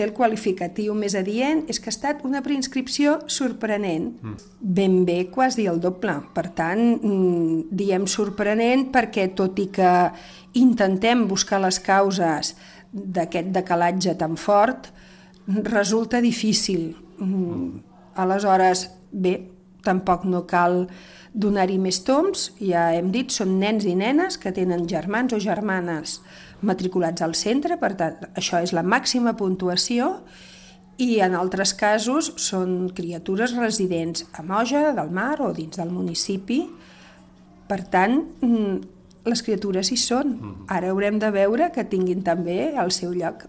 El qualificatiu més adient és que ha estat una preinscripció sorprenent. Ben bé quasi el doble. Per tant, diem sorprenent perquè tot i que intentem buscar les causes d'aquest decalatge tan fort, resulta difícil. Aleshores, bé, tampoc no cal donar-hi més toms, ja hem dit, són nens i nenes que tenen germans o germanes matriculats al centre, per tant, això és la màxima puntuació, i en altres casos són criatures residents a Moja del Mar o dins del municipi. Per tant, les criatures hi són. Ara haurem de veure que tinguin també el seu lloc